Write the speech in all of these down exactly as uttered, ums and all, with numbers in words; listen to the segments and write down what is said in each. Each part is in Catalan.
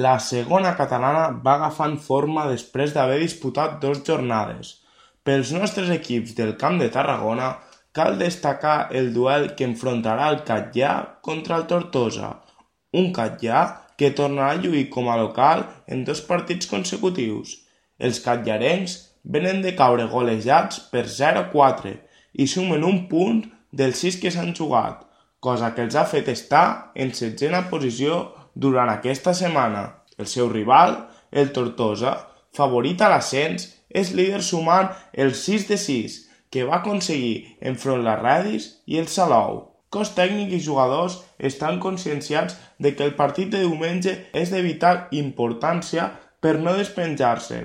La segona catalana va agafant forma després d'haver disputat dues jornades. Pels nostres equips del Camp de Tarragona cal destacar el duel que enfrontarà el Catllà contra el Tortosa, un Catllà que tornarà a lluir com a local en dos partits consecutius. Els catllarencs venen de caure golejats per zero a quatre i sumen un punt dels sis que s'han jugat, cosa que els ha fet estar en setzena posició durant aquesta setmana. El seu rival, el Tortosa, favorit a l'ascens, és líder sumant el sis de sis que va aconseguir enfront la Redis i el Salou. Cos tècnic i jugadors estan conscienciats de que el partit de diumenge és de vital importància per no despenjar-se.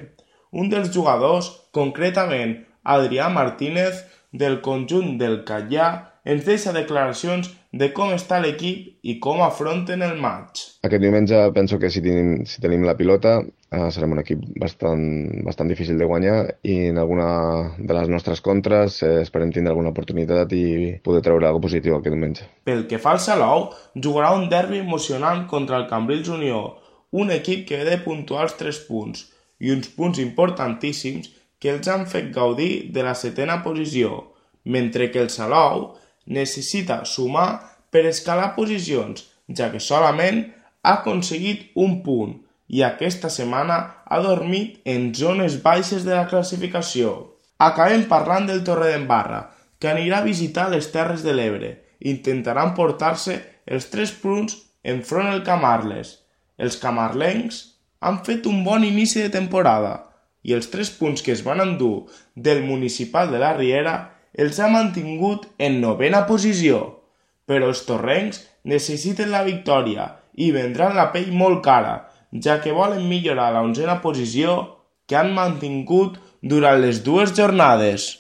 Un dels jugadors, concretament Adrià Martínez, del conjunt del Catllà, ens deixa declaracions de com està l'equip i com afronten el maig. Aquest diumenge penso que si tenim, si tenim la pilota eh, serem un equip bastant, bastant difícil de guanyar i en alguna de les nostres contres eh, esperem tindre alguna oportunitat i poder treure alguna cosa positiu aquest diumenge. Pel que fa al Salou, jugarà un derbi emocionant contra el Cambrils Unió, un equip que ve de puntuar els tres punts i uns punts importantíssims que els han fet gaudir de la setena posició, mentre que el Salou necessita sumar per escalar posicions, ja que solament ha aconseguit un punt i aquesta setmana ha dormit en zones baixes de la classificació. Acabem parlant del Torredembarra, que anirà a visitar les Terres de l'Ebre i intentarà emportar-se els tres punts enfront el Camarles. Els camarlencs han fet un bon inici de temporada i els tres punts que es van endur del Municipal de la Riera els ha mantingut en novena posició, però els torrencs necessiten la victòria i vendran la pell molt cara, ja que volen millorar la onzena posició que han mantingut durant les dues jornades.